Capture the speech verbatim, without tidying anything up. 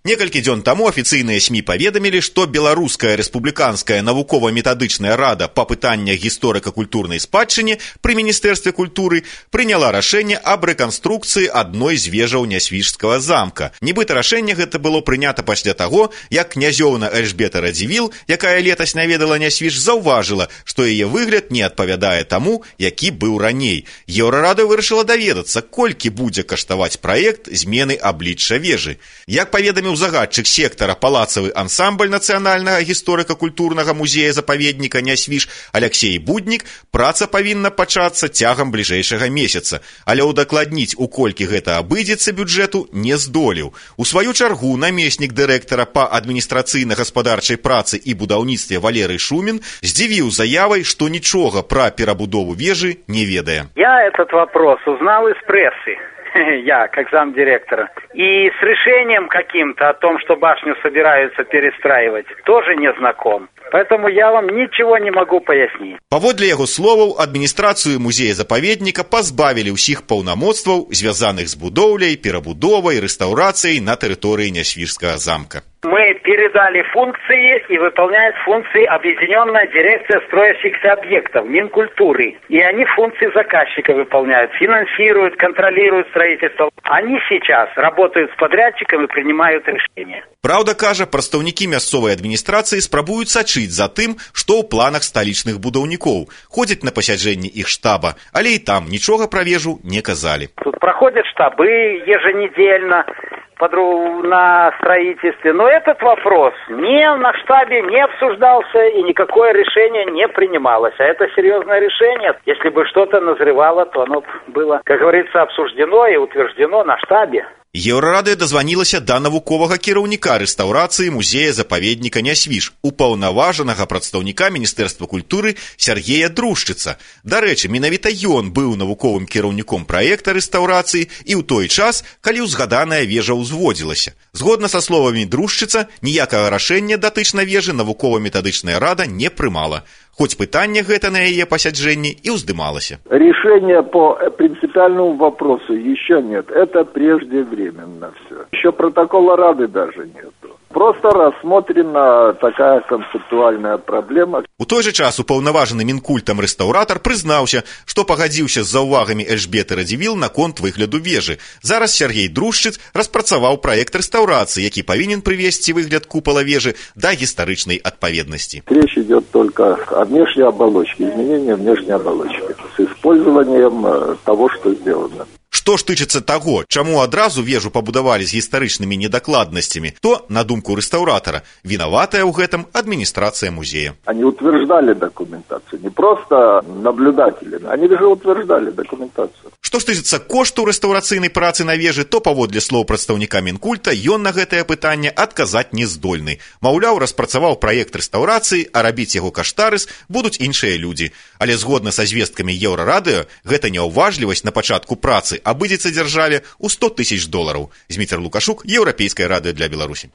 Некалькі дзён таму афіцыйныя СМІ паведамілі, што Беларуская рэспубліканская навукова-метадычная рада па пытаннях гісторыка-культурнай спадчыне пры Міністэрстве культуры прыняла рашэнне аб рэканструкцыі адной з вежаў Нясвіжскага замка. Нібыта рашэнне гэта было прынята пасля таго, як князёўна Эльжбета Радзівіл, якая летась наведала Нясвіж, заўважыла, што яе выгляд не адпавядае таму, які быў раней. Еўрарада вырашыла даведацца, колькі будзе каштаваць праект змены аблічча вежы. Як паведаміў загадчык сектара палацавы ансамбль нацыянальнага гісторыка-культурнага музея-запаведніка Нясвіж Аляксей Буднік, праца павінна пачацца цягам бліжэйшага месяца, але ўдакладніць, у колькі гэта абыдзецца бюджэту, не здолеў. У сваю чаргу намеснік дырэктара па адміністрацыйна-гаспадарчай працы і будаўніцтве Валерый Шумін здзівіў заявай, што нічога пра перабудову вежы не ведае. Я этот вопрос узнал из прессы. Я, как замдиректора. И с решением каким-то о том, что башню собираются перестраивать, тоже не знаком. Поэтому я вам ничего не могу пояснить. Паводле яго словаў, адміністрацыю музея-запаведніка пазбавілі ўсіх паўнамоцтваў, звязаных з будоўляй, перабудовай, рэстаўрацыяй на тэрыторыі Нясвіжскага замка. Мы передали функции, и выполняет функции Объединенная дирекция строящихся объектов Минкультуры. И они функции заказчика выполняют, финансируют, контролируют строительство. Они сейчас работают с подрядчиком и принимают решения. Праўда, кажа, прадстаўнікі мясцовай адміністрацыі спрабуюць сачыць за тым, што ў планах сталічных будаўнікоў. Ходзяць на пасяджэнні іх штаба, але і там нічога пра вежу не казалі. Тут проходят штабы еженедельно на строительстве. Но этот вопрос ни на штабе не обсуждался и никакое решение не принималось. А это серьезное решение. Если бы что-то назревало, то оно было, как говорится, обсуждено и утверждено на штабе. Еўрарада дазванілася да навуковага кіраўніка рэстаўрацыі музея-запаведніка Нясвіж, упаўнаважанага прадстаўніка Міністэрства культуры Сергея Друшчыца. Дарэчы, менавіта ён быў навуковым кіраўніком праекта рэстаўрацыі і ў той час, калі ўзгаданая вежа ўзводзілася. Згодна са словамі Друшчыца, ніякага рашэння датычна вежы навукова-метадычная рада не прымала. Хоть пытанне гэта на яе пасяджэнні і ўздымалася. Решения по принципиальному вопросу еще нет. Это преждевременно все. Еще протокола Рады даже нету. Просто рассмотрена такая концептуальная проблема. У той же час упаўнаважаны Мінкультам рэстаўратар прызнаўся, што пагадзіўся з заўвагамі Эльжбеты Радзівіл наконт выгляду вежы. Зараз Сергей Друшчыц распрацаваў праект рэстаўрацыі, які павінен прывесці выгляд купала вежы да гістарычнай адпаведнасці. Речь идет только о внешней оболочке, изменении внешней оболочки с использованием того, что сделано. Што ж тычыцца таго, чаму адразу вежу пабудавалі з гістарычнымі недакладнасцямі, то, на думку рэстаўратара, вінаватая ў гэтым адміністрацыя музея. Они утверждали документацию, не просто наблюдатели, они же утверждали документацию. Што ж тычыцца кошту рэстаўрацыйнай працы на вежы, то, паводле слоў прадстаўніка Мінкульта, ён на гэтае пытанне адказаць не здольны. Маўляў, распрацаваў праект рэстаўрацыі, а рабіць яго каштарыс будуць іншыя людзі. Але згодна са звесткамі Еўрарадыё, гэта няўважлівасць на пачатку працы абыдзецца дзяржаве ў сто тысяч долараў. Зміцер Лукашук, Еўрапейскае радыё для Беларусі.